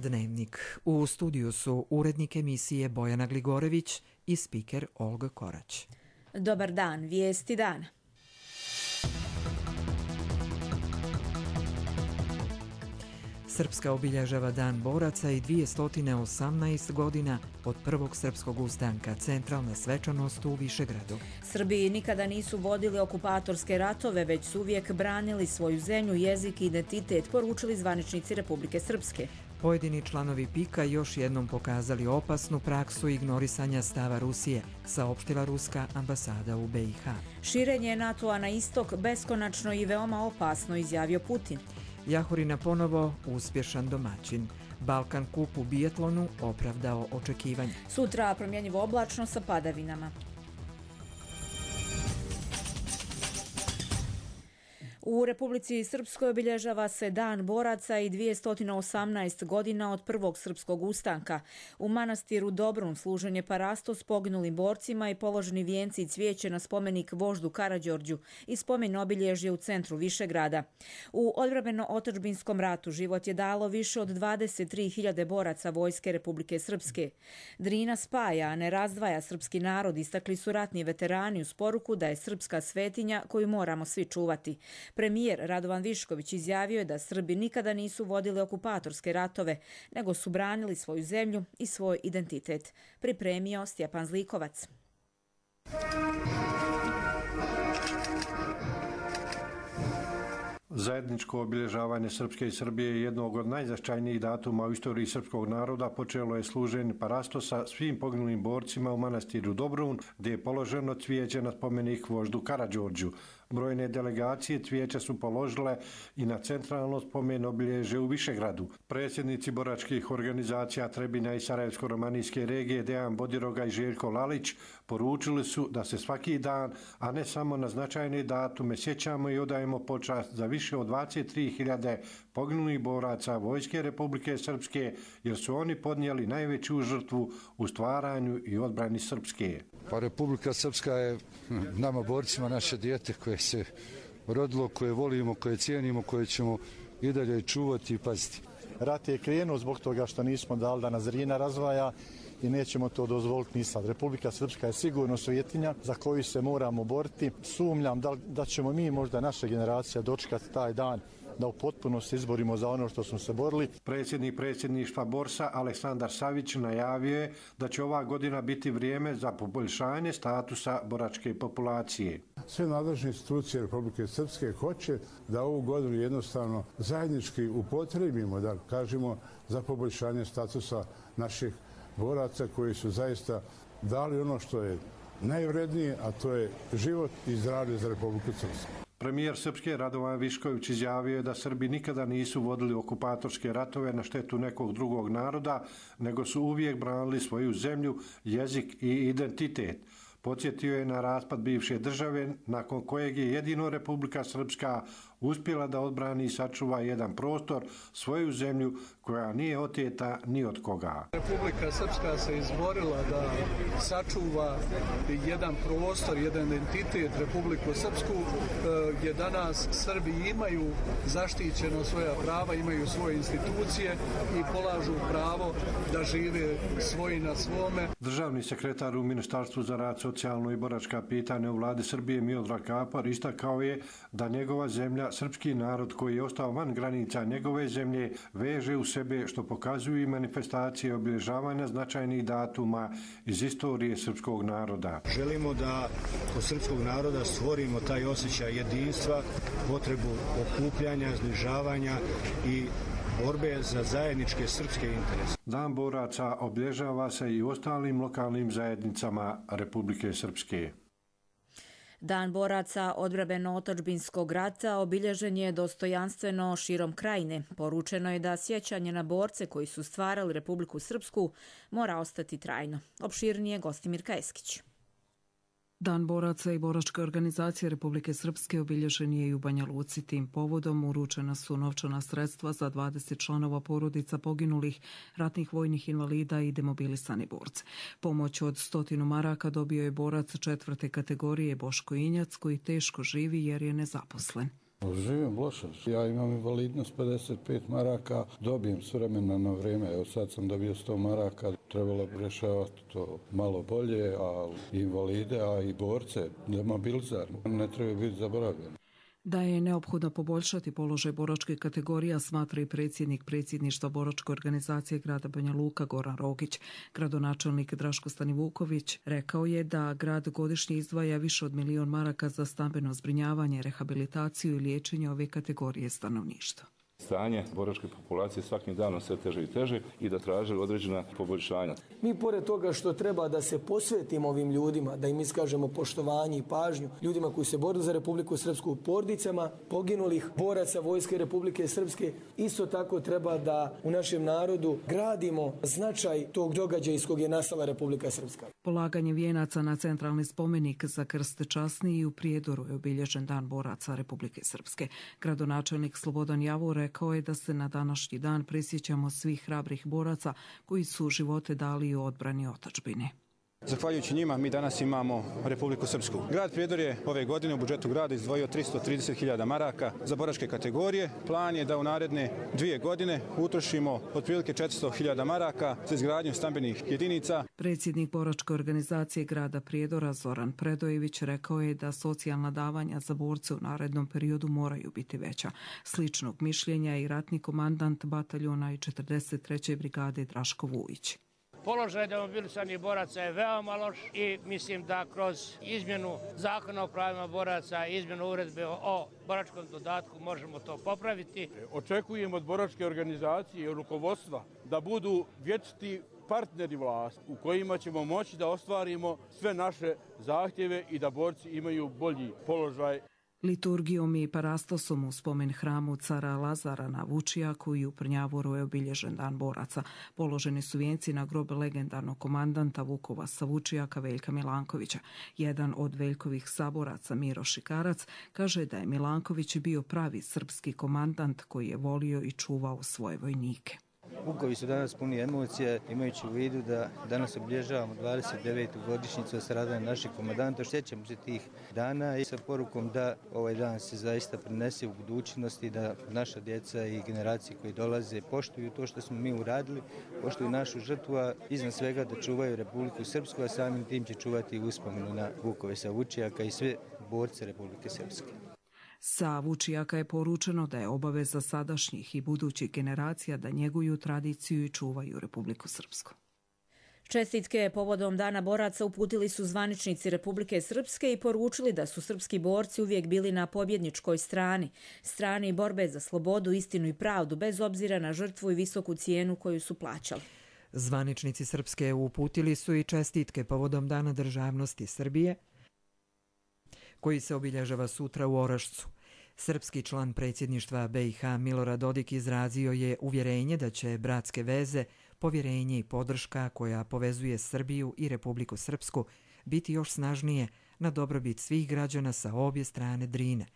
Dnevnik. U studiju su urednik emisije Bojana Gligorević i spiker Olga Korać. Dobar dan, vijesti dana. Srpska obilježava Dan boraca i 218 godina od prvog srpskog ustanka, centralna svečanost u Višegradu. Srbiji nikada nisu vodili okupatorske ratove, već su uvijek branili svoju zemlju, jezik i identitet, poručili zvaničnici Republike Srpske. Pojedini članovi PIK-a još jednom pokazali opasnu praksu ignorisanja stava Rusije, saopštila ruska ambasada u BiH. Širenje NATO-a na istok beskonačno i veoma opasno, izjavio Putin. Jahorina ponovo uspješan domaćin. Balkan Kup u biatlonu opravdao očekivanja. Sutra promjenjivo oblačno sa padavinama. U Republici Srpskoj obilježava se Dan boraca i 218 godina od prvog srpskog ustanka. U manastiru Dobrun služen je parastos poginulim borcima i položeni vijenci i cvijeće na spomenik voždu Karađorđu i spomen obilježje u centru Višegrada. U odbrambeno-otadžbinskom ratu život je dalo više od 23.000 boraca Vojske Republike Srpske. Drina spaja, a ne razdvaja srpski narod, istakli su ratni veterani uz poruku da je srpska svetinja koju moramo svi čuvati. Premijer Radovan Višković izjavio je da Srbi nikada nisu vodili okupatorske ratove, nego su branili svoju zemlju i svoj identitet. Pripremio Stjepan Zlikovac. Zajedničko obilježavanje Srpske i Srbije je jednog od najznačajnijih datuma u istoriji srpskog naroda. Počelo je služenje parastosa svim poginulim borcima u manastiru Dobrun, gdje je položeno cvijeće na spomenik voždu Karađorđu. Brojne delegacije cvijeća su položile i na centralno spomen obilježje u Višegradu. Predsjednici boračkih organizacija Trebinja i Sarajevsko-romanijske regije Dejan Bodiroga i Željko Lalić poručili su da se svaki dan, a ne samo na značajne datume, sjećamo i odajemo počast za više od 23.000 poginulih boraca Vojske Republike Srpske, jer su oni podnijeli najveću žrtvu u stvaranju i odbrani Srpske. Pa Republika Srpska je nama borcima naše dijete koje se rodilo, koje volimo, koje cijenimo, koje ćemo i dalje čuvati i paziti. Rat je krenuo zbog toga što nismo dali da nas Drina razvaja i nećemo to dozvoliti ni sad. Republika Srpska je sigurno svetinja za koju se moramo boriti. Sumnjam da ćemo mi, možda naša generacija, dočekati taj dan da u potpunosti izborimo za ono što smo se borili. Predsjednik predsjedništva Borsa Aleksandar Savić najavio je da će ova godina biti vrijeme za poboljšanje statusa boračke populacije. Sve nadležne institucije Republike Srpske hoće da ovu godinu jednostavno zajednički upotrebimo, da kažemo, za poboljšanje statusa naših boraca koji su zaista dali ono što je najvrednije, a to je život i zdravlje za Republiku Srpsku. Premijer Srpske Radovan Višković izjavio je da Srbi nikada nisu vodili okupatorske ratove na štetu nekog drugog naroda, nego su uvijek branili svoju zemlju, jezik i identitet. Podsjetio je na raspad bivše države, nakon kojeg je jedino Republika Srpska uspjela da odbrani i sačuva jedan prostor, svoju zemlju koja nije oteta ni od koga. Republika Srpska se izborila da sačuva jedan prostor, jedan identitet Republiku Srpsku, gdje danas Srbi imaju zaštićeno svoja prava, imaju svoje institucije i polažu pravo da žive svoji na svome. Državni sekretar u Ministarstvu za rad, socijalno i boračka pitanja u vladi Srbije Miodrag Kapar istakao je da njegova zemlja, srpski narod koji je ostao van granica njegove zemlje, veže u sebe, što pokazuju i manifestacije obilježavanja značajnih datuma iz istorije srpskog naroda. Želimo da kod srpskog naroda stvorimo taj osjećaj jedinstva, potrebu okupljanja, zbližavanja i borbe za zajedničke srpske interese. Dan boraca obilježava se i u ostalim lokalnim zajednicama Republike Srpske. Dan boraca odbrambeno-otadžbinskog rata obilježen je dostojanstveno širom krajine. Poručeno je da sjećanje na borce koji su stvarali Republiku Srpsku mora ostati trajno. Opširnije Gostimir Kajeskić. Dan boraca i boračke organizacije Republike Srpske obilježen je i u Banja Luci. Tim povodom uručena su novčana sredstva za 20 članova porodica poginulih, ratnih vojnih invalida i demobilisani borce. Pomoć od 100 maraka dobio je borac 4. kategorije Boško Injac koji teško živi jer je nezaposlen. Živim loše. Ja imam invalidnost 55 maraka, dobijem s vremena na vrijeme. Evo sad sam dobio 100 maraka, trebalo bi rješavati to malo bolje, a invalide, a i borce, demobilizar, ne treba biti zaboravljeni. Da je neophodno poboljšati položaj boračkih kategorija, smatra i predsjedništva boračke organizacije grada Banja Luka Goran Rogić. Gradonačelnik Draško Stanivuković rekao je da grad godišnje izdvaja više od 1 milion maraka za stambeno zbrinjavanje, rehabilitaciju i liječenje ove kategorije stanovništva. Stanje boračke populacije svakim danom sve teže i teže i da traže određena poboljšanja. Mi pored toga što treba da se posvetimo ovim ljudima, da im iskažemo poštovanje i pažnju, ljudima koji se bore za Republiku Srpsku, porodicama poginulih boraca Vojske Republike Srpske, isto tako treba da u našem narodu gradimo značaj tog događaja iz kog je nastala Republika Srpska. Polaganje vijenaca na centralni spomenik za krst časni i u Prijedoru je obilježen Dan boraca Republike Srpske. Gradonačelnik Slobodan Javor rekao je da se na današnji dan prisjećamo svih hrabrih boraca koji su živote dali u odbrani otadžbine. Zahvaljujući njima mi danas imamo Republiku Srpsku. Grad Prijedor je ove godine u budžetu grada izdvojio 330.000 maraka za boračke kategorije. Plan je da u naredne 2 godine utrošimo otprilike 400.000 maraka za izgradnju stambenih jedinica. Predsjednik boračke organizacije grada Prijedora Zoran Predojević rekao je da socijalna davanja za borce u narednom periodu moraju biti veća. Sličnog mišljenja i ratni komandant bataljona i 43. brigade Draško Vujić. Položaj demobilisanih boraca je veoma loš i mislim da kroz izmjenu zakona o pravima boraca i izmjenu uredbe o boračkom dodatku možemo to popraviti. Očekujem od boračke organizacije i rukovodstva da budu vječiti partneri vlasti u kojima ćemo moći da ostvarimo sve naše zahtjeve i da borci imaju bolji položaj. Liturgijom i parastosom u spomen hramu cara Lazara na Vučijaku i u Prnjavoru je obilježen Dan boraca. Položeni su vijenci na grob legendarnog komandanta Vukova sa Vučijaka Veljka Milankovića. Jedan od Veljkovih saboraca, Miro Šikarac, kaže da je Milanković bio pravi srpski komandant koji je volio i čuvao svoje vojnike. Vukovi su danas puni emocija, imajući u vidu da danas obilježavamo 29. godišnjicu od stradanja naših komandanta. Sjećamo se tih dana i sa porukom da ovaj dan se zaista prenese u budućnosti, da naša djeca i generacije koji dolaze poštuju to što smo mi uradili, poštuju našu žrtvu, a iznad svega da čuvaju Republiku Srpsku, a samim tim će čuvati uspomenu na Vukove sa Vučijaka i sve borce Republike Srpske. Sa Vučijaka je poručeno da je obaveza sadašnjih i budućih generacija da njeguju tradiciju i čuvaju Republiku Srpsku. Čestitke povodom Dana boraca uputili su zvaničnici Republike Srpske i poručili da su srpski borci uvijek bili na pobjedničkoj strani borbe za slobodu, istinu i pravdu, bez obzira na žrtvu i visoku cijenu koju su plaćali. Zvaničnici Srpske uputili su i čestitke povodom Dana državnosti Srbije, koji se obilježava sutra u Orašcu. Srpski član predsjedništva BiH Milorad Dodik izrazio je uvjerenje da će bratske veze, povjerenje i podrška koja povezuje Srbiju i Republiku Srpsku biti još snažnije na dobrobit svih građana sa obje strane Drine.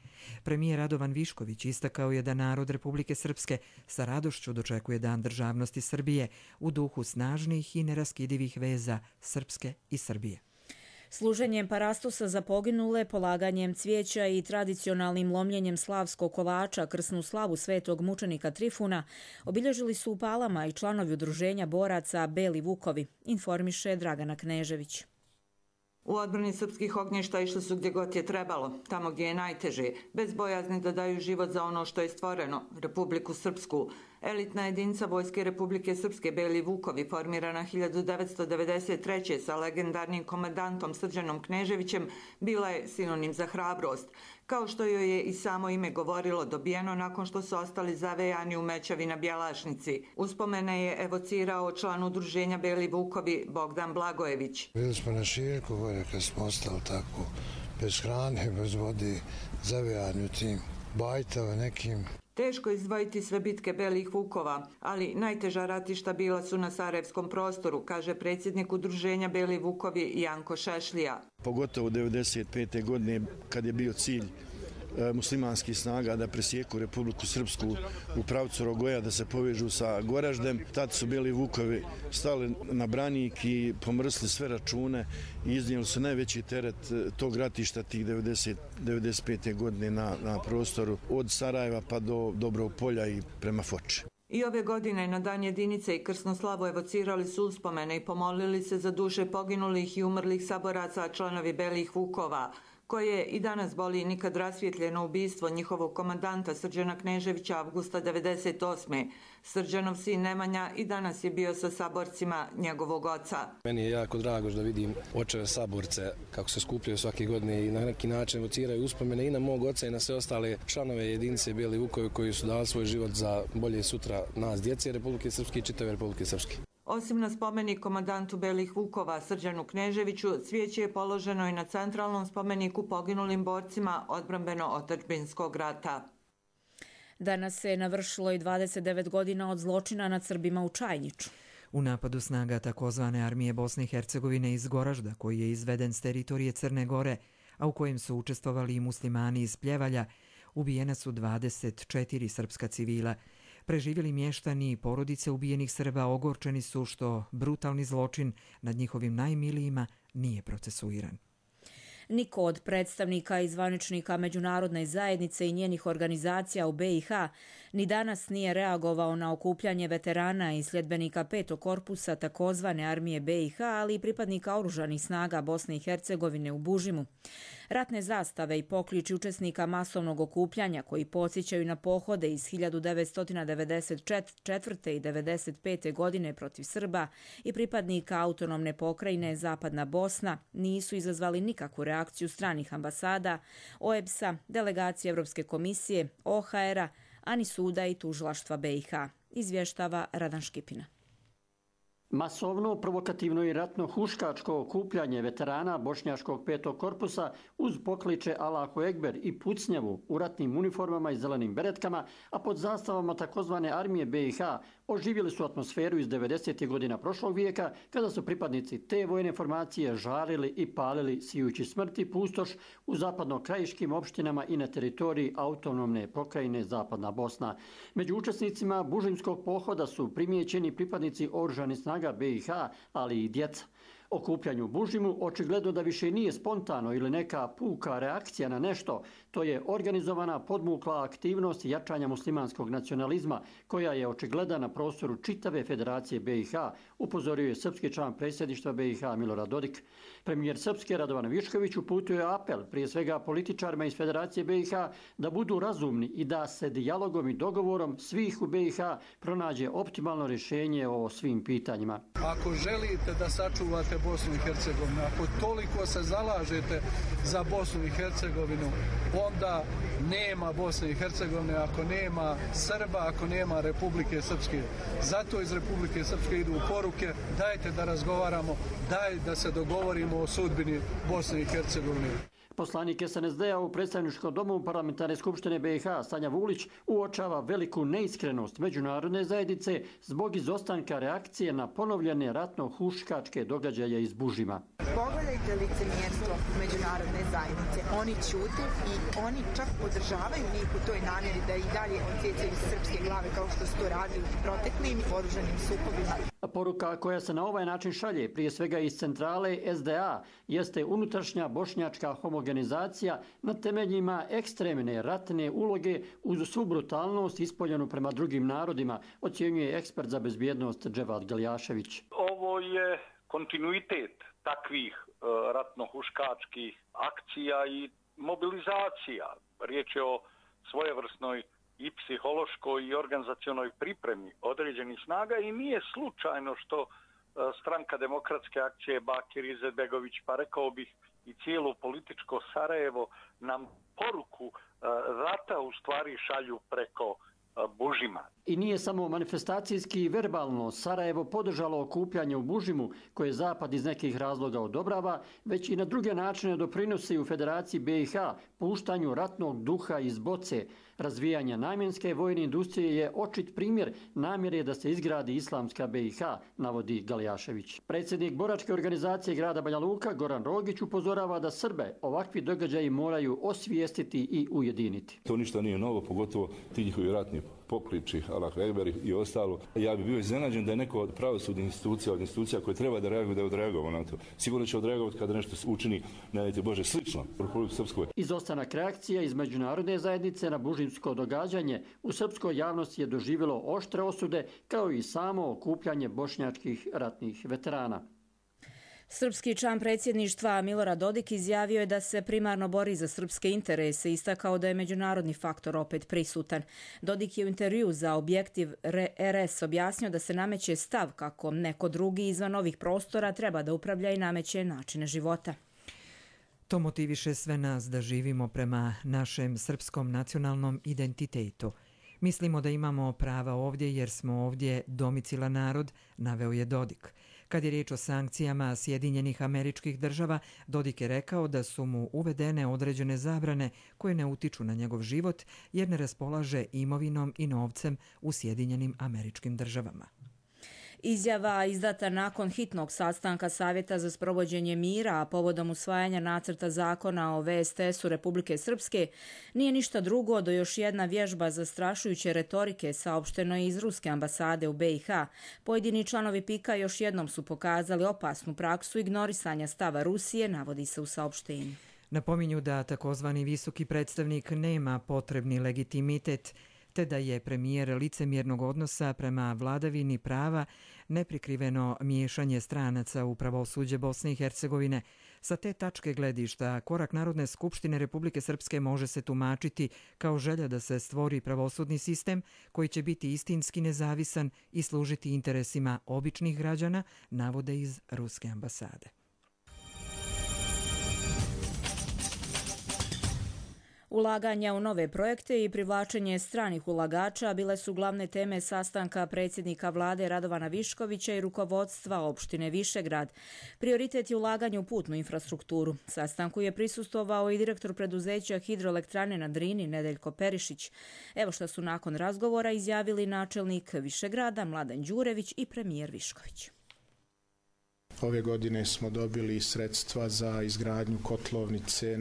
Premijer Radovan Višković istakao je da narod Republike Srpske sa radošću dočekuje Dan državnosti Srbije u duhu snažnih i neraskidivih veza Srpske i Srbije. Služenjem parastosa za poginule, polaganjem cvijeća i tradicionalnim lomljenjem slavskog kolača krsnu slavu svetog mučenika Trifuna obilježili su u Palama i članovi udruženja boraca Beli Vukovi, informiše Dragana Knežević. U odbrani srpskih ognjišta išli su gdje god je trebalo, tamo gdje je najteže, bez bojazni da daju život za ono što je stvoreno, Republiku Srpsku. Elitna jedinica Vojske Republike Srpske Beli Vukovi, formirana 1993. sa legendarnim komandantom Srđanom Kneževićem, bila je sinonim za hrabrost. Kao što joj je i samo ime govorilo, dobijeno nakon što su ostali zavejani u mećavi na Bjelašnici. Uspomene je evocirao član udruženja Beli Vukovi Bogdan Blagojević. Bili smo na Šiljku gore kad smo ostali tako, bez hrane, bez vode, zavejani u tim bajtava nekim. Teško izdvojiti sve bitke Belih Vukova, ali najteža ratišta bila su na Sarajevskom prostoru, kaže predsjednik udruženja Beli Vukovi Janko Šešlija. Pogotovo 1995. godine kad je bio cilj muslimanskih snaga da presjeku Republiku Srpsku u pravcu Rogoja, da se povežu sa Goraždem. Tad su bili Vukovi stali na branik i pomrsli sve račune i iznijeli su najveći teret tog ratišta tih 95. godine na prostoru od Sarajeva pa do Dobrog Polja i prema Foči. I ove godine na Dan jedinice i krsnu slavu evocirali su uspomene i pomolili se za duše poginulih i umrlih saboraca, članovi Belih Vukova, koje i danas boli nikad rasvjetljeno ubistvo njihovog komandanta Srđana Kneževića avgusta 98. Srđanov sin Nemanja i danas je bio sa saborcima njegovog oca. Meni je jako drago da vidim očeve saborce kako se skupljaju svake godine i na neki način evociraju uspomene i na mog oca i na sve ostale članove jedinice Beli Vukovi koji su dali svoj život za bolje sutra nas, djece Republike Srpske i čitave Republike Srpske. Osim na spomenik komandantu Belih Vukova Srđanu Kneževiću, cvijeće je položeno i na centralnom spomeniku poginulim borcima odbrambeno-otadžbinskog rata. Danas se navršilo i 29 godina od zločina nad Srbima u Čajniću. U napadu snaga takozvane armije Bosne i Hercegovine iz Goražda, koji je izveden s teritorije Crne Gore, a u kojem su učestvovali i muslimani iz Pljevalja, ubijena su 24 srpska civila. Preživjeli mještani i porodice ubijenih Srba ogorčeni su što brutalni zločin nad njihovim najmilijima nije procesuiran. Niko od predstavnika i zvaničnika međunarodne zajednice i njenih organizacija u BiH ni danas nije reagovao na okupljanje veterana i sljedbenika 5. korpusa takozvane armije BiH, ali i pripadnika oružanih snaga Bosne i Hercegovine u Bužimu. Ratne zastave i pokliči učesnika masovnog okupljanja koji podsjećaju na pohode iz 1994. i 1995. godine protiv Srba i pripadnika autonomne pokrajine Zapadna Bosna nisu izazvali nikakvu reakciju stranih ambasada, OEBS-a, delegacije Evropske komisije, OHR-a, ani suda i tužilaštva BiH, izvještava Radan Škipina. Masovno, provokativno i ratno huškačko okupljanje veterana bošnjaškog 5. korpusa uz pokliče Allahu Ekber i pucnjavu u ratnim uniformama i zelenim beretkama, a pod zastavama takozvane armije BiH oživjeli su atmosferu iz 90. godina prošlog vijeka, kada su pripadnici te vojne formacije žarili i palili sijući smrti pustoš u zapadno-krajiškim opštinama i na teritoriji autonomne pokrajine Zapadna Bosna. Među učesnicima bužimskog pohoda su primijećeni pripadnici oružanih snaga BiH, ali i djeca. Okupljanju u Bužimu očigledno da više nije spontano ili neka puka reakcija na nešto, to je organizovana podmukla aktivnost jačanja muslimanskog nacionalizma koja je očigledna na prostoru čitave Federacije BiH, upozorio je srpski član predsjedništva BiH Milorad Dodik. Premijer Srpske Radovan Višković uputio je apel prije svega političarima iz Federacije BiH da budu razumni i da se dijalogom i dogovorom svih u BiH pronađe optimalno rješenje o svim pitanjima. Ako želite da sačuvate Bosnu i Hercegovinu, ako toliko se zalažete za Bosnu i Hercegovinu, onda nema Bosne i Hercegovine ako nema Srba, ako nema Republike Srpske. Zato iz Republike Srpske idu poruke, dajte da razgovaramo, daj da se dogovorimo o sudbini Bosne i Hercegovine. Poslanik SNSD-a u predstavničkom domu Parlamentarne skupštine BiH Sanja Vulić uočava veliku neiskrenost međunarodne zajednice zbog izostanka reakcije na ponovljene ratno-huškačke događaje iz Bužima. Pogledajte licemjerstvo međunarodne zajednice. Oni ćute i oni čak podržavaju njih u toj namjeri da i dalje odsjecaju srpske glave kao što su to radili u proteklim oružanim sukobima. Poruka koja se na ovaj način šalje, prije svega iz centrale SDA, jeste unutrašnja bošnjačka homogenizacija na temeljima ekstremne ratne uloge uz svu brutalnost ispoljenu prema drugim narodima, ocjenjuje ekspert za bezbjednost Dževad Galjašević. Ovo je kontinuitet takvih ratno-huškačkih akcija i mobilizacija. Riječ je o svojevrsnoj i psihološkoj i organizacionoj pripremi određenih snaga i nije slučajno što stranka demokratske akcije Bakir Izetbegović, pa rekao bih i cijelo političko Sarajevo, nam poruku rata u stvari šalju preko Bužima. I nije samo manifestacijski i verbalno Sarajevo podržalo okupljanje u Bužimu, koje Zapad iz nekih razloga odobrava, već i na druge načine doprinosi u Federaciji BiH puštanju ratnog duha iz boce. Razvijanje namjenske vojne industrije je očit primjer namjere da se izgradi islamska BiH, navodi Galijašević. Predsjednik boračke organizacije grada Banja Luka, Goran Rogić, upozorava da Srbe ovakvi događaji moraju osvijestiti i ujediniti. To ništa nije novo, pogotovo ti njihovi ratni pokliči, Allahu Ekber i ostalo. Ja bih bio iznenađen da je neko od pravosudnih institucija, od institucija koje treba da reaguju, da je odreagovao na to. Sigurno će odreagovati kada nešto učini, ne dajte Bože, slično u Republici Srpskoj. Izostanak reakcija iz međunarodne zajednice na bužimsko događanje u srpskoj javnosti je doživjelo oštre osude, kao i samo okupljanje bošnjačkih ratnih veterana. Srpski član predsjedništva Milorad Dodik izjavio je da se primarno bori za srpske interese i istakao da je međunarodni faktor opet prisutan. Dodik je u intervju za Objektiv RS objasnio da se nameće stav kako neko drugi izvan ovih prostora treba da upravlja i nameće načine života. To motiviše sve nas da živimo prema našem srpskom nacionalnom identitetu. Mislimo da imamo prava ovdje jer smo ovdje domicilan narod, naveo je Dodik. Kad je riječ o sankcijama Sjedinjenih Američkih Država, Dodik je rekao da su mu uvedene određene zabrane koje ne utiču na njegov život jer ne raspolaže imovinom i novcem u Sjedinjenim Američkim Državama. Izjava izdata nakon hitnog sastanka Savjeta za sprovođenje mira, a povodom usvajanja nacrta zakona o VSTS-u Republike Srpske, nije ništa drugo do još jedna vježba zastrašujuće retorike, saopšteno iz Ruske ambasade u BiH. Pojedini članovi PIK-a još jednom su pokazali opasnu praksu ignorisanja stava Rusije, navodi se u saopštenju. Napominju da takozvani visoki predstavnik nema potrebni legitimitet, te da je premijer licemjernog odnosa prema vladavini prava neprikriveno miješanje stranaca u pravosuđe Bosne i Hercegovine. Sa te tačke gledišta, korak Narodne skupštine Republike Srpske može se tumačiti kao želja da se stvori pravosudni sistem koji će biti istinski nezavisan i služiti interesima običnih građana, navode iz Ruske ambasade. Ulaganja u nove projekte i privlačenje stranih ulagača bile su glavne teme sastanka predsjednika vlade Radovana Viškovića i rukovodstva opštine Višegrad. Prioritet je ulaganje u putnu infrastrukturu. Sastanku je prisustvovao i direktor preduzeća Hidroelektrane na Drini Nedeljko Perišić. Evo što su nakon razgovora izjavili načelnik Višegrada Mladen Đurević i premijer Višković. Ove godine smo dobili sredstva za izgradnju kotlovnice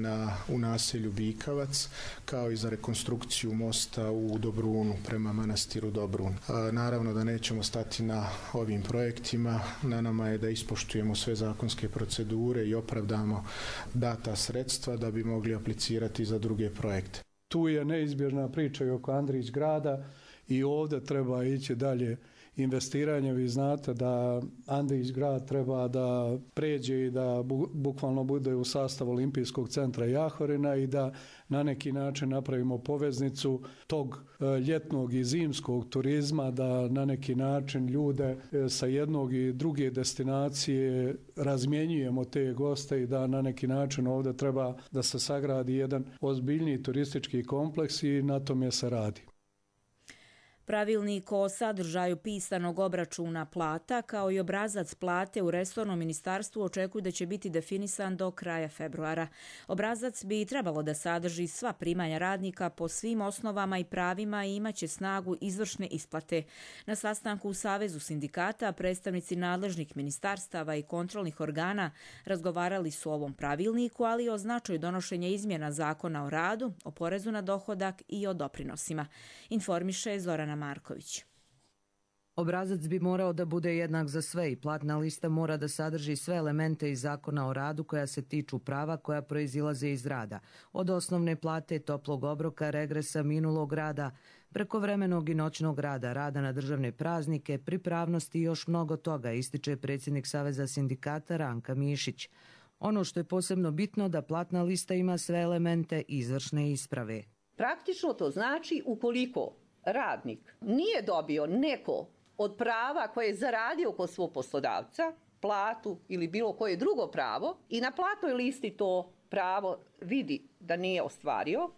u naselju Bikavac, kao i za rekonstrukciju mosta u Dobrunu prema manastiru Dobrun. Naravno da nećemo stati na ovim projektima. Na nama je da ispoštujemo sve zakonske procedure i opravdamo data sredstva da bi mogli aplicirati za druge projekte. Tu je neizbježna priča i oko Andrić grada i ovdje treba ići dalje investiranje. Vi znate da Andrić grad treba da pređe i da bukvalno bude u sastavu Olimpijskog centra Jahorina i da na neki način napravimo poveznicu tog ljetnog i zimskog turizma, da na neki način ljude sa jednog i druge destinacije razmjenjujemo te goste i da na neki način ovdje treba da se sagradi jedan ozbiljniji turistički kompleks i na tome se radi. Pravilnik o sadržaju pisanog obračuna plata kao i obrazac plate u resornom ministarstvu očekuju da će biti definisan do kraja februara. Obrazac bi trebalo da sadrži sva primanja radnika po svim osnovama i pravima i imaće snagu izvršne isplate. Na sastanku u Savezu sindikata predstavnici nadležnih ministarstava i kontrolnih organa razgovarali su o ovom pravilniku, ali i o značaju donošenja izmjena Zakona o radu, o porezu na dohodak i o doprinosima. Informiše Zorana Marković. Obrazac bi morao da bude jednak za sve i platna lista mora da sadrži sve elemente iz Zakona o radu koja se tiču prava koja proizilaze iz rada, od osnovne plate, toplog obroka, regresa, minulog rada, prekovremenog i noćnog rada, rada na državne praznike, pripravnosti i još mnogo toga, ističe predsjednik Saveza sindikata Ranka Mišić. Ono što je posebno bitno da platna lista ima sve elemente izvršne isprave. Praktično to znači ukoliko radnik nije dobio neko od prava koje je zaradio kod svog poslodavca, platu ili bilo koje drugo pravo i na platnoj listi to pravo vidi da nije ostvario,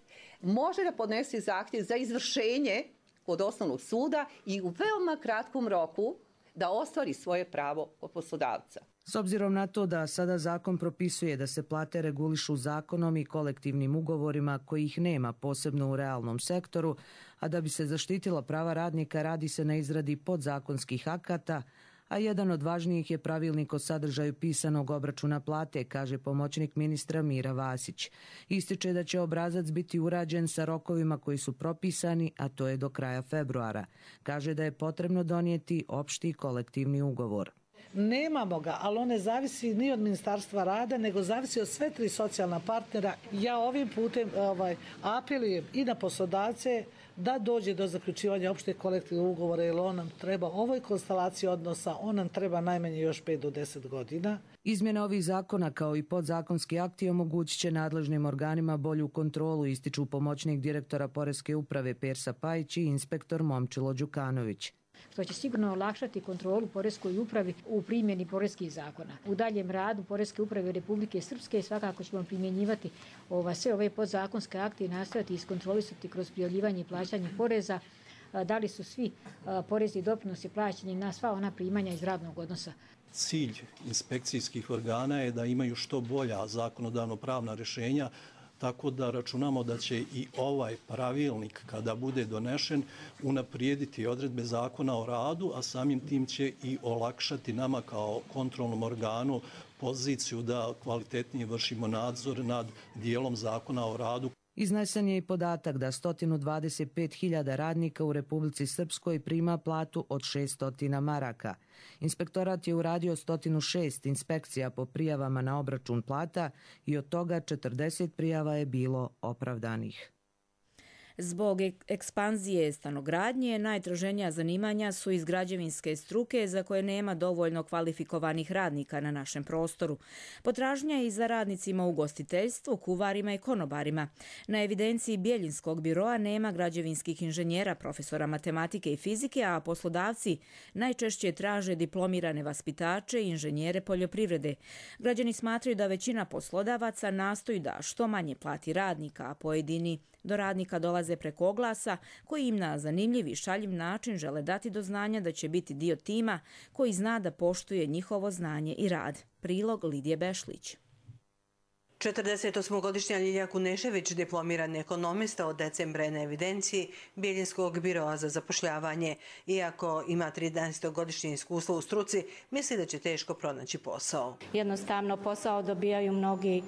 može da podnese zahtjev za izvršenje kod osnovnog suda i u veoma kratkom roku da ostvari svoje pravo od poslodavca. S obzirom na to da sada zakon propisuje da se plate regulišu zakonom i kolektivnim ugovorima kojih nema posebno u realnom sektoru, a da bi se zaštitila prava radnika radi se na izradi podzakonskih akata, a jedan od važnijih je pravilnik o sadržaju pisanog obračuna plate, kaže pomoćnik ministra Mira Vasić. Ističe da će obrazac biti urađen sa rokovima koji su propisani, a to je do kraja februara. Kaže da je potrebno donijeti opšti kolektivni ugovor. Nemamo ga, ali on ne zavisi ni od Ministarstva rada, nego zavisi od sve tri socijalna partnera. Ja ovim putem apelujem i na poslodavce da dođe do zaključivanja opšte kolektivnog ugovora, jer on nam treba ovoj konstelaciji odnosa, on nam treba najmanje još 5 do 10 godina. Izmjene ovih zakona kao i podzakonski akti omogućit će nadležnim organima bolju kontrolu, ističu pomoćnik direktora Poreske uprave Persa Pajić i inspektor Momčilo Đukanović. Što će sigurno olakšati kontrolu Poreskoj upravi u primjeni poreskih zakona. U daljem radu Poreske uprave Republike Srpske svakako ćemo primjenjivati sve ove podzakonske akte i nastojati iskontrolisati kroz prijavljivanje i plaćanje poreza da li su svi porezni doprinosi plaćeni na sva ona primanja iz radnog odnosa. Cilj inspekcijskih organa je da imaju što bolja zakonodavno-pravna rješenja, tako da računamo da će i ovaj pravilnik, kada bude donešen, unaprijediti odredbe zakona o radu, a samim tim će i olakšati nama kao kontrolnom organu poziciju da kvalitetnije vršimo nadzor nad dijelom zakona o radu. Iznesen je i podatak da 125.000 radnika u Republici Srpskoj prima platu od 600 maraka. Inspektorat je uradio 106 inspekcija po prijavama na obračun plata i od toga 40 prijava je bilo opravdanih. Zbog ekspanzije stanogradnje, najtraženija zanimanja su iz građevinske struke za koje nema dovoljno kvalifikovanih radnika na našem prostoru. Potražnja je i za radnicima u ugostiteljstvu, kuvarima i konobarima. Na evidenciji Bjeljinskog biroa nema građevinskih inženjera, profesora matematike i fizike, a poslodavci najčešće traže diplomirane vaspitače i inženjere poljoprivrede. Građani smatraju da većina poslodavaca nastoji da što manje plati radnika, a pojedini do radnika dolaze preko oglasa koji im na zanimljiv i šaljiv način žele dati do znanja da će biti dio tima koji zna da poštuje njihovo znanje i rad. Prilog Lidije Bešlić. 48-godišnja Ljilja Kunešević, diplomirani ekonomista, od decembra je na evidenciji Bjeljinskog biroa za zapošljavanje. Iako ima 13-godišnje iskustvo u struci, misli da će teško pronaći posao. Jednostavno posao dobijaju mnogi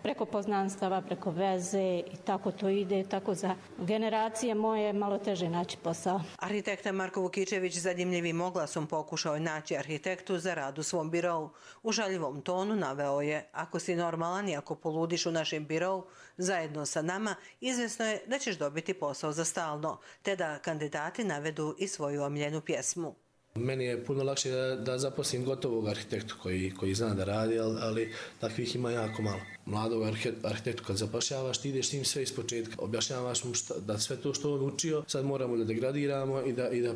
preko poznanstava, preko veze i tako to ide. Tako za generacije moje malo teže naći posao. Arhitekta Marko Vukičević zadimljivim oglasom pokušao je naći arhitektu za rad u svom birovu. U žaljivom tonu naveo je: ako si normalan i ako poludiš u našem birovu zajedno sa nama, izvjesno je da ćeš dobiti posao za stalno, te da kandidati navedu i svoju omiljenu pjesmu. Meni je puno lakše da zaposlim gotovog arhitektu koji zna da radi, ali takvih ima jako malo. Mladog arhitektu kad zapošljavaš, ti ideš s njim sve iz početka. Objašnjavaš mu da sve to što on učio sad moramo da degradiramo i da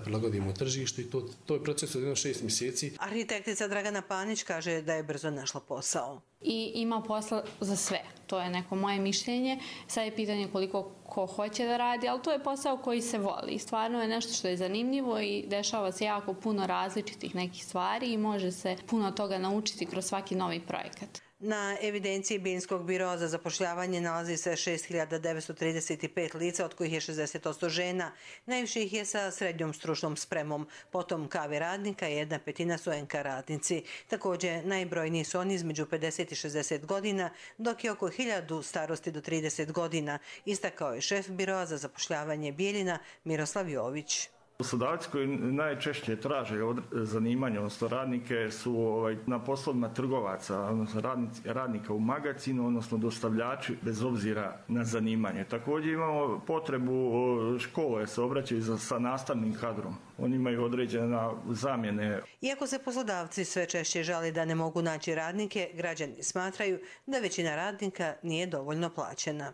prilagodimo tržištu, i to je proces od 6 mjeseci. Arhitektica Dragana Panić kaže da je brzo našla posao. I ima posla za sve. To je neko moje mišljenje. Sad je pitanje koliko ko hoće da radi, ali to je posao koji se voli. Stvarno je nešto što je zanimljivo i dešava se jako puno različitih nekih stvari i može se puno toga naučiti kroz svaki novi projekat. Na evidenciji Bjeljinskog biroa za zapošljavanje nalazi se 6.935 lica, od kojih je 60% žena. Najviše ih je sa srednjom stručnom spremom. Potom KV radnika i 1/5 su NK radnici. Također najbrojniji su oni između 50 i 60 godina, dok je oko 1000 starosti do 30 godina, istakao je šef biroa za zapošljavanje Bijeljina Miroslav Jović. Poslodavci koji najčešće traže zanimanje, odnosno radnike, su na poslovima trgovaca, odnosno radnika u magazinu, odnosno dostavljači bez obzira na zanimanje. Također imamo potrebu škole se obraćaju sa nastavnim kadrom. Oni imaju određene zamjene. Iako se poslodavci sve češće žali da ne mogu naći radnike, građani smatraju da većina radnika nije dovoljno plaćena.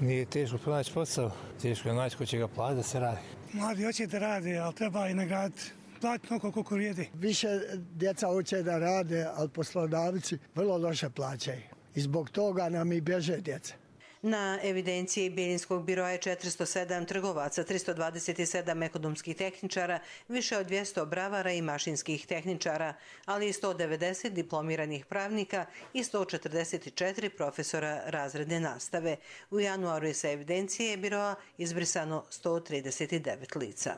Nije teško pronaći posao, teško je naći ko će ga platiti da se radi. Mladi hoće da rade, ali treba i nagraditi. Platiti ono koliko vrijedi. Više djeca hoće da rade, ali poslodavci vrlo loše plaćaju. I zbog toga nam i bježe djeca. Na evidenciji Bijeljinskog biroa je 407 trgovaca, 327 ekonomskih tehničara, više od 200 bravara i mašinskih tehničara, ali i 190 diplomiranih pravnika i 144 profesora razredne nastave. U januaru je sa evidencije biroa izbrisano 139 lica.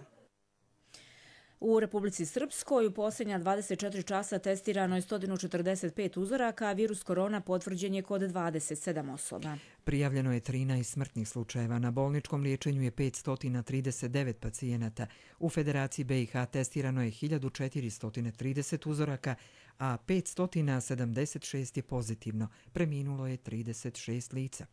U Republici Srpskoj u posljednja 24 časa testirano je 145 uzoraka, a virus korona potvrđen je kod 27 osoba. Prijavljeno je 13 smrtnih slučajeva. Na bolničkom liječenju je 539 pacijenata. U Federaciji BiH testirano je 1430 uzoraka, a 576 je pozitivno. Preminulo je 36 lica.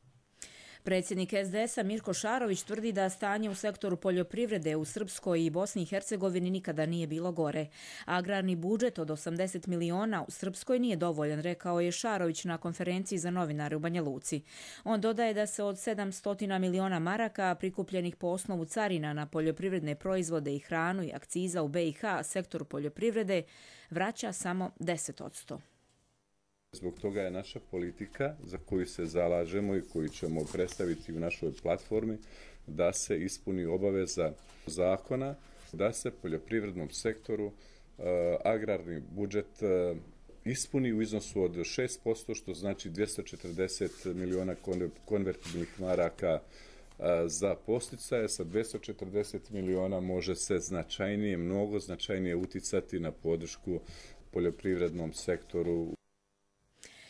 Predsjednik SDS-a Mirko Šarović tvrdi da stanje u sektoru poljoprivrede u Srpskoj i Bosni i Hercegovini nikada nije bilo gore. Agrarni budžet od 80 miliona u Srpskoj nije dovoljan, rekao je Šarović na konferenciji za novinare u Banja Luci. On dodaje da se od 700 miliona maraka prikupljenih po osnovu carina na poljoprivredne proizvode i hranu i akciza u BiH sektoru poljoprivrede vraća samo 10%. Zbog toga je naša politika za koju se zalažemo i koju ćemo predstaviti u našoj platformi da se ispuni obaveza zakona, da se poljoprivrednom sektoru agrarni budžet ispuni u iznosu od 6%, što znači 240 miliona konvertibilnih maraka za podsticaje. Sa 240 miliona može se značajnije, mnogo značajnije uticati na podršku poljoprivrednom sektoru.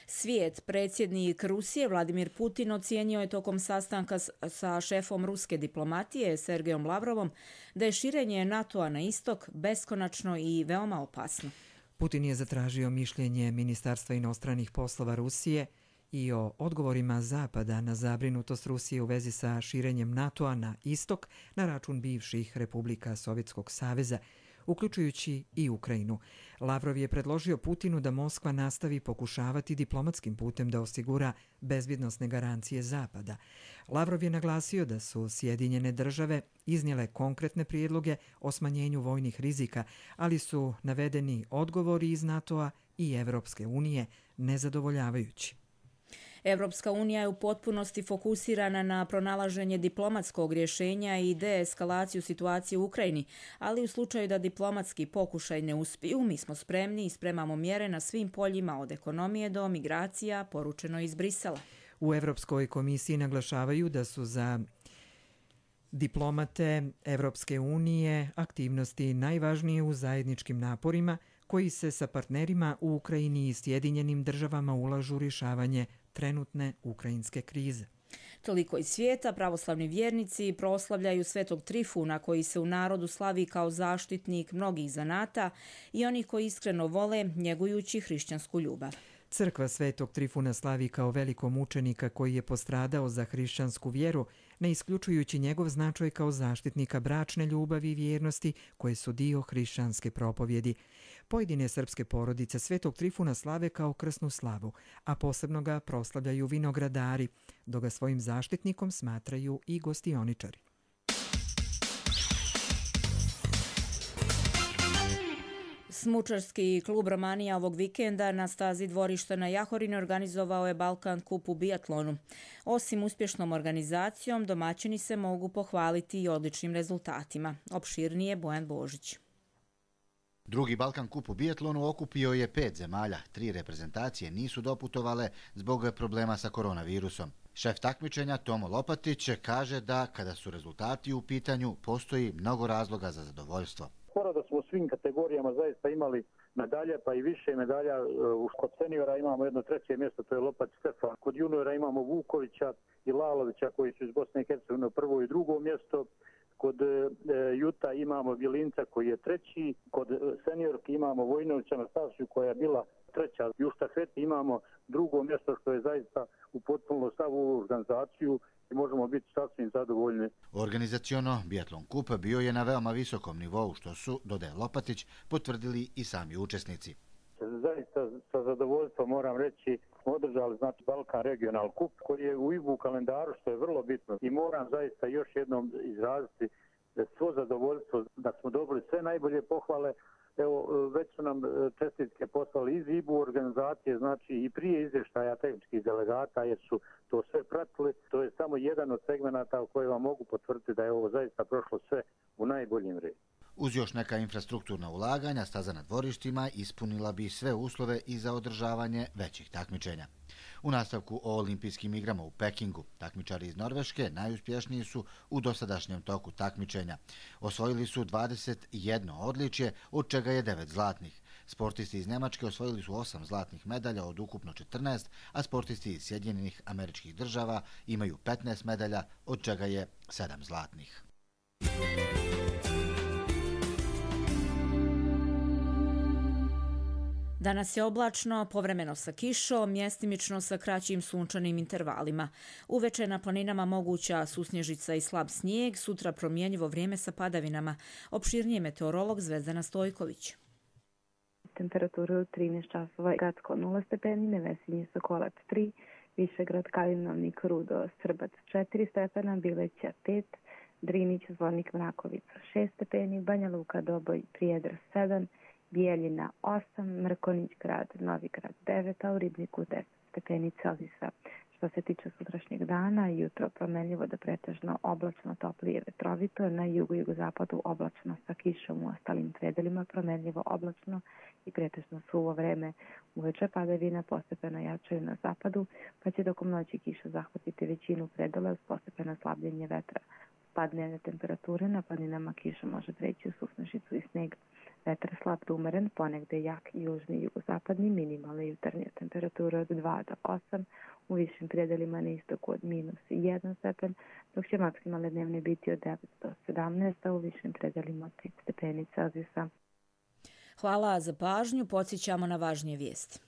Svijet, predsjednik Rusije Vladimir Putin ocijenio je tokom sastanka sa šefom ruske diplomatije Sergejom Lavrovom da je širenje NATO-a na istok beskonačno i veoma opasno. Putin je zatražio mišljenje Ministarstva inostranih poslova Rusije i o odgovorima Zapada na zabrinutost Rusije u vezi sa širenjem NATO-a na istok na račun bivših republika Sovjetskog saveza, uključujući i Ukrajinu. Lavrov je predložio Putinu da Moskva nastavi pokušavati diplomatskim putem da osigura bezbjednosne garancije Zapada. Lavrov je naglasio da su Sjedinjene države iznijele konkretne prijedloge o smanjenju vojnih rizika, ali su navedeni odgovori iz NATO-a i Evropske unije nezadovoljavajući. Evropska unija je u potpunosti fokusirana na pronalaženje diplomatskog rješenja i deeskalaciju situacije u Ukrajini, ali u slučaju da diplomatski pokušaj ne uspiju, mi smo spremni i spremamo mjere na svim poljima od ekonomije do migracija, poručeno iz Brisela. U Evropskoj komisiji naglašavaju da su za diplomate Evropske unije aktivnosti najvažnije u zajedničkim naporima koji se sa partnerima u Ukrajini i Sjedinjenim državama ulažu u rješavanje trenutne ukrajinske krize. Toliko iz svijeta. Pravoslavni vjernici proslavljaju Svetog Trifuna koji se u narodu slavi kao zaštitnik mnogih zanata i onih koji iskreno vole njegujući hrišćansku ljubav. Crkva Svetog Trifuna slavi kao velikog mučenika koji je postradao za hrišćansku vjeru, ne isključujući njegov značaj kao zaštitnika bračne ljubavi i vjernosti koje su dio hrišćanske propovjedi. Pojedine srpske porodice Svetog Trifuna slave kao krsnu slavu, a posebno ga proslavljaju vinogradari, dok ga svojim zaštitnikom smatraju i gostioničari. Smučarski klub Romanija ovog vikenda na stazi dvorišta na Jahorini organizovao je Balkan Cup u biatlonu. Osim uspješnom organizacijom, domaćini se mogu pohvaliti i odličnim rezultatima. Opširnije Bojan Božić. Drugi Balkan Cup u biatlonu okupio je 5 zemalja. 3 reprezentacije nisu doputovale zbog problema sa koronavirusom. Šef takmičenja Tomo Lopatić kaže da kada su rezultati u pitanju, postoji mnogo razloga za zadovoljstvo. Skoro da smo u svim kategorijama zaista imali medalje, pa i više medalja. Kod seniora imamo jedno 3. mjesto, to je Lopac Stefan. Kod juniora imamo Vukovića i Lalovića koji su iz Bosne i Hercegovine 1. i 2. mjesto. Kod Juta imamo Vilinca koji je 3. Kod seniorki imamo Vojnovića Nastasiju koja je bila 3. I u štafeti imamo 2. mjesto što je zaista u potpuno stavu u organizaciju i možemo biti sasvim zadovoljni. Organizaciono biatlon kup bio je na veoma visokom nivou što su, dodaje Lopatić, potvrdili i sami učesnici. Zaista sa zadovoljstvom moram reći smo održali Balkan Regional Kup koji je u IBU kalendaru što je vrlo bitno i moram zaista još jednom izraziti svo zadovoljstvo da smo dobili sve najbolje pohvale Evo, već su nam čestitke poslali iz IBU organizacije, znači i prije izvještaja tehničkih delegata, jer su to sve pratili. To je samo jedan od segmenata u koje vam mogu potvrditi da je ovo zaista prošlo sve u najboljem redu. Uz još neka infrastrukturna ulaganja, staza na dvorištima ispunila bi sve uslove i za održavanje većih takmičenja. U nastavku o olimpijskim igrama u Pekingu, takmičari iz Norveške najuspješniji su u dosadašnjem toku takmičenja. Osvojili su 21 odličje, od čega je 9 zlatnih. Sportisti iz Njemačke osvojili su 8 zlatnih medalja od ukupno 14, a sportisti iz Sjedinjenih Američkih Država imaju 15 medalja, od čega je 7 zlatnih. Danas je oblačno, povremeno sa kišom, mjestimično sa kraćim sunčanim intervalima. Uveče na planinama moguća susnježica i slab snijeg, sutra promjenjivo vrijeme sa padavinama. Opširnije meteorolog Zvezdana Stojković. Temperaturu 13 časova, Gradsko 0 stepeni, Nevesinje Sokolac 3, Višegrad Kalinovnik Rudo Srbac 4 stepena, Bileća 5, Drinić Zvornik Mrakovica 6 stepeni, Banja Luka Doboj Prijedor 7, Bijeljina 8, Mrkonić grad, Novi grad 9, a u Ribniku 10 stepeni Celzijusa. Što se tiče sutrašnjeg dana, jutro promenljivo do pretežno oblačno, toplije vetrovito, na jugu i jugozapadu oblačno sa kišom, u ostalim predelima promenljivo oblačno i pretežno suvo vreme. Uveče padavina postepeno jačaju na zapadu, pa će tokom noći kiša zahvatiti većinu predela uz postepeno slabljenje vetra. Pad dnevne temperature, na planinama kiša može preći u susnežicu i sneg. Vetar slab do umeren, ponegde jak južni i jugozapadni, minimalne jutarnje temperature od 2 do 8, u višim predelima na istoku od -1 stepen, dok će maksimalne dnevne biti od 9 do 17, a u višim predelima 5 stepeni Celzijusa. Hvala za pažnju, podsjećamo na važnije vijesti.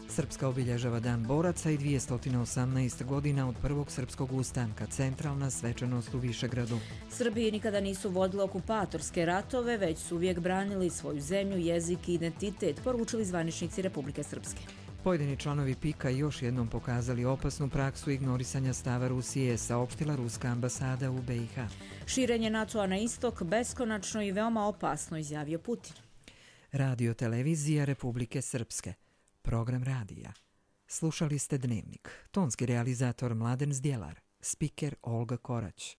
Srpska obilježava Dan boraca i 218 godina od prvog srpskog ustanka, centralna svečanost u Višegradu. Srbiji nikada nisu vodile okupatorske ratove, već su uvijek branili svoju zemlju, jezik i identitet, poručili zvaničnici Republike Srpske. Pojedini članovi PIK-a još jednom pokazali opasnu praksu ignorisanja stava Rusije, saopštila ruska ambasada u BiH. Širenje NATO-a na istok beskonačno i veoma opasno, izjavio Putin. Radio televizija Republike Srpske. Program radija. Slušali ste Dnevnik. Tonski realizator Mladen Zdjelar. Spiker Olga Korać.